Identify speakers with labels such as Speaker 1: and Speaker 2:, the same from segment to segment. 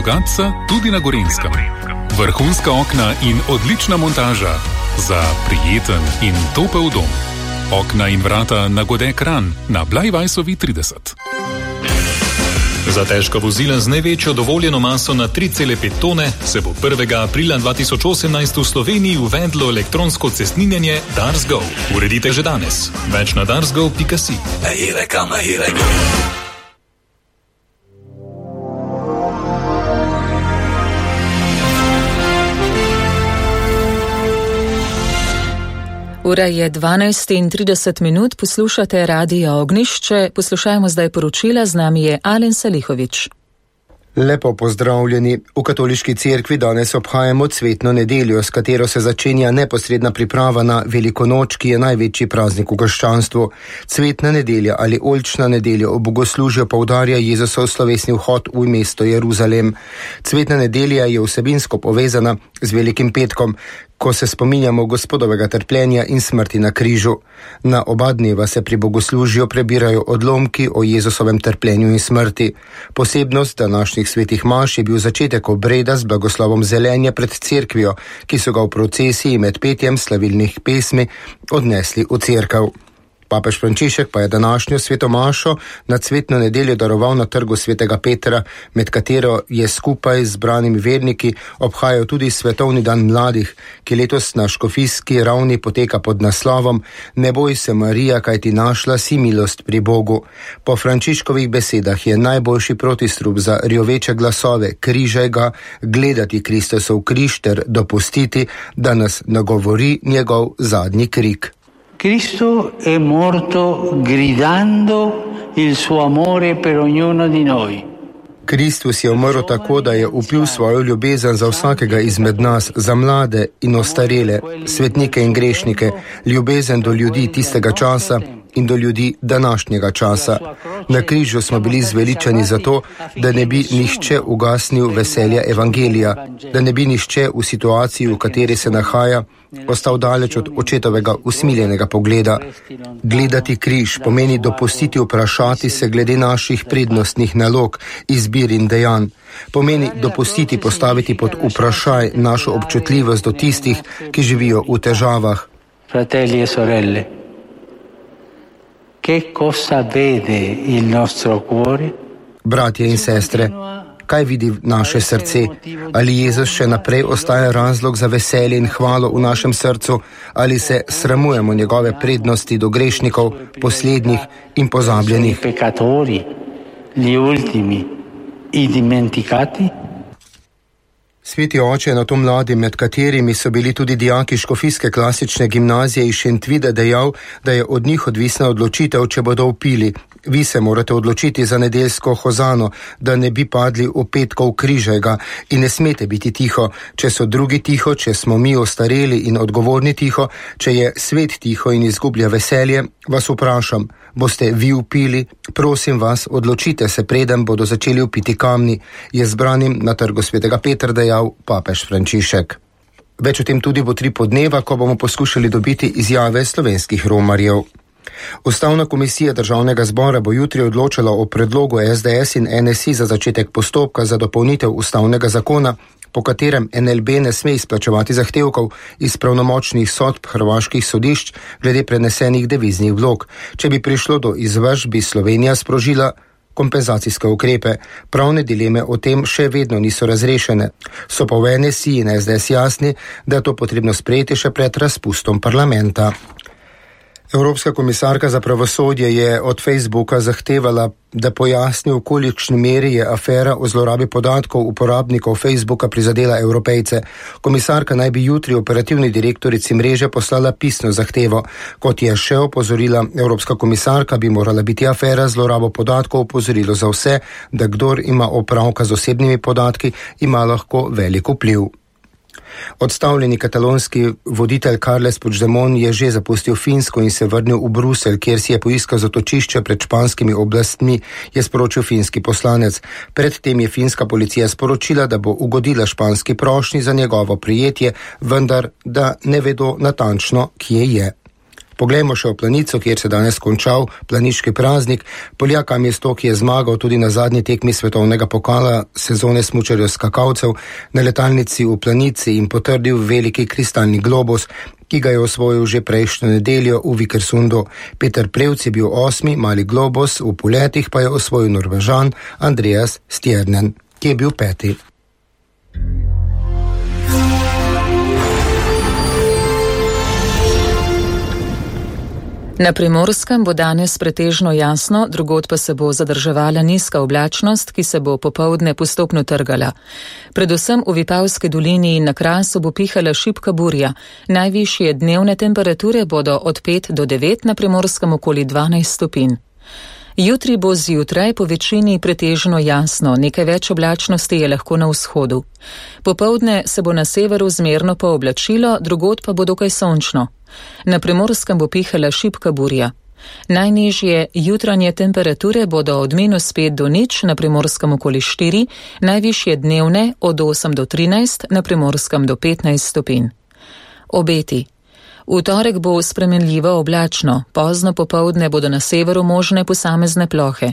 Speaker 1: Bogatca tudi na Gorenjskem. Vrhunska okna in odlična montaža za prijeten in topel dom. Okna in vrata na Godek Kranj na Blajvajsovi 30. Za težka vozila z največjo dovoljeno maso na 3,5 tone se bo 1. aprila 2018 v Sloveniji uvedlo elektronsko cestninjenje DarsGo. Uredite že danes. Več na darsgo.si.
Speaker 2: Ura je 12:30, poslušate Radio Ognjišče, poslušajmo zdaj poročila, z nami je Alen Salihovič.
Speaker 3: Lepo pozdravljeni. V katoliški cerkvi danes obhajamo cvetno nedeljo, s katero se začenja neposredna priprava na Veliko noč, ki je največji praznik v krščanstvu. Cvetna nedelja ali oljčna nedelja v bogoslužju poudarja Jezusov slovesni vhod v mesto Jeruzalem. Cvetna nedelja je vsebinsko povezana z Velikim petkom, ko se spominjamo Gospodovega trpljenja in smrti na križu. Na oba dneva se pri bogoslužju prebirajo odlomki o Jezusovem trpljenju in smrti. Posebnost današnjih svetih maš je bil začetek obreda z blagoslovom zelenja pred cerkvijo, ki so ga v procesiji med petjem slavilnih pesmi odnesli v cerkev. Papež Frančišek pa je današnjo sveto mašo na cvetno nedeljo daroval na trgu svetega Petra, med katero je skupaj z zbranimi verniki obhajal tudi Svetovni dan mladih, ki letos na škofijski ravni poteka pod naslovom Ne boj se, Marija, kaj ti našla si milost pri Bogu. Po Frančiškovih besedah je najboljši protistrup za rjoveče glasove križaj ga, gledati Kristusov križ ter dopustiti, da nas nagovori njegov zadnji krik.
Speaker 4: Cristo è morto gridando il suo amore per ognuno di noi.
Speaker 3: Kristus je umrl tako, da je vpil svojo ljubezen za vsakega izmed nas, za mlade in ostarele, svetnike in grešnike, ljubezen do ljudi tistega časa in do ljudi današnjega časa. Na križu smo bili zveličani zato, da ne bi nihče ugasnil veselja evangelija, da ne bi nihče v situaciji, v kateri se nahaja, ostal daleč od očetovega usmiljenega pogleda. Gledati križ pomeni dopustiti vprašati se glede naših prednostnih nalog, izbir in dejanj. Pomeni dopustiti postaviti pod vprašaj našo občutljivost do tistih, ki živijo v težavah.
Speaker 4: Fratelli e sorelle, che cosa vede il nostro cuore?
Speaker 3: Bratje in sestre, kaj vidi naše srce? Ali Jezus še naprej ostaja razlog za veselje in hvalo v našem srcu, ali se sramujemo njegove prednosti do grešnikov, poslednjih in pozabljenih?
Speaker 4: Peccatori, gli ultimi, i dimenticati?
Speaker 3: Sveti oče je na to mladim, med katerimi so bili tudi dijaki škofijske klasične gimnazije iz Šentvida, dejal, da je od njih odvisna odločitev, če bodo vpili. Vi se morate odločiti za nedeljsko hozano, da ne bi padli v petkov križaj ga, in ne smete biti tiho. Če so drugi tiho, če smo mi ostareli in odgovorni tiho, če je svet tiho in izgublja veselje, vas vprašam, boste vi vpili? Prosim vas, odločite se, preden bodo začeli vpiti kamni, je zbranim na trgu svetega Petra dejal papež Frančišek. Več o tem tudi bo 3 podneva, ko bomo poskušali dobiti izjave slovenskih romarjev. Ustavna komisija Državnega zbora bo jutri odločala o predlogu SDS in NSI za začetek postopka za dopolnitev ustavnega zakona, po katerem NLB ne sme izplačevati zahtevkov iz pravnomočnih sodb hrvaških sodišč glede prenesenih deviznih vlog. Če bi prišlo do izvršb, bi Slovenija sprožila kompenzacijske ukrepe. Pravne dileme o tem še vedno niso razrešene. So pa v NSI in SDS jasni, da je to potrebno sprejeti še pred razpustom parlamenta. Evropska komisarka za pravosodje je od Facebooka zahtevala, da pojasni, v kolikšni meri je afera o zlorabi podatkov uporabnikov Facebooka prizadela Evropejce. Komisarka naj bi jutri operativni direktorici mreže poslala pisno zahtevo. Kot je še opozorila Evropska komisarka, bi morala biti afera zlorabo podatkov opozorilo za vse, da kdor ima opravka z osebnimi podatki, ima lahko velik vpliv. Odstavljeni katalonski voditelj Carles Puigdemont je že zapustil Finsko in se vrnil v Bruselj, kjer si je poiskal zatočišče pred španskimi oblastmi, je sporočil finski poslanec. Predtem je finska policija sporočila, da bo ugodila španski prošnji za njegovo prijetje, vendar da ne vedo natančno, kje je. Poglejmo še v Planico, kjer se danes končal planiški praznik. Poljak Amistoki je zmagal tudi na zadnji tekmi svetovnega pokala sezone smučarjev skakalcev na letalnici v Planici in potrdil veliki kristalni globus, ki ga je osvojil že prejšnjo nedeljo v Vikersundu. Peter Prevc je bil 8., mali globus, v poletih pa je osvojil Norvežan Andreas Stjernen, ki je bil 5.
Speaker 2: Na Primorskem bo danes pretežno jasno, drugod pa se bo zadrževala nizka oblačnost, ki se bo popoldne postopno trgala. Predvsem v Vipavski dolini in na Krasu bo pihala šibka burja. Najvišje dnevne temperature bodo od 5 do 9, na Primorskem okoli 12 stopinj. Jutri bo zjutraj po večini pretežno jasno, nekaj več oblačnosti je lahko na vzhodu. Popoldne se bo na severu zmerno pooblačilo, drugod pa bo dokaj sončno. Na Primorskem bo pihala šibka burja. Najnižje jutranje temperature bodo od -5 do 0, na Primorskem okoli 4, najvišje dnevne od 8 do 13, na Primorskem do 15 stopinj. Obeti. V torek bo spremenljivo oblačno, pozno popoldne bodo na severu možne posamezne plohe.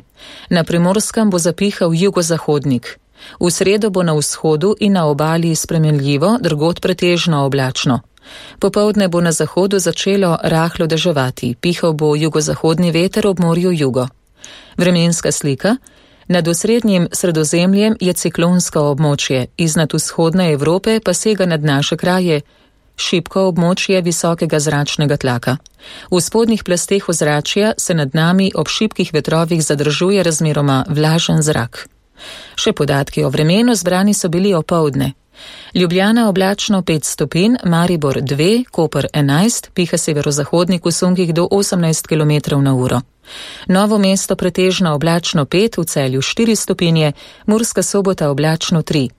Speaker 2: Na Primorskem bo zapihal jugozahodnik. V sredo bo na vzhodu in na obali spremenljivo, drugod pretežno oblačno. Popoldne bo na zahodu začelo rahlo deževati, pihal bo jugozahodni veter ob morju jugo. Vremenska slika. Nad osrednjim Sredozemljem je ciklonsko območje, iznad vzhodne Evrope pa sega nad naše kraje šibko območje visokega zračnega tlaka. V spodnjih plasteh ozračja se nad nami ob šibkih vetrovih zadržuje razmeroma vlažen zrak. Še podatki o vremenu zbrani so bili opoldne. Ljubljana oblačno 5 stopinj, Maribor 2, Koper 11, piha severozahodnik v sunkih do 18 km/h. Novo mesto pretežno oblačno 5, v Celju 4 stopinje, Murska Sobota oblačno 3.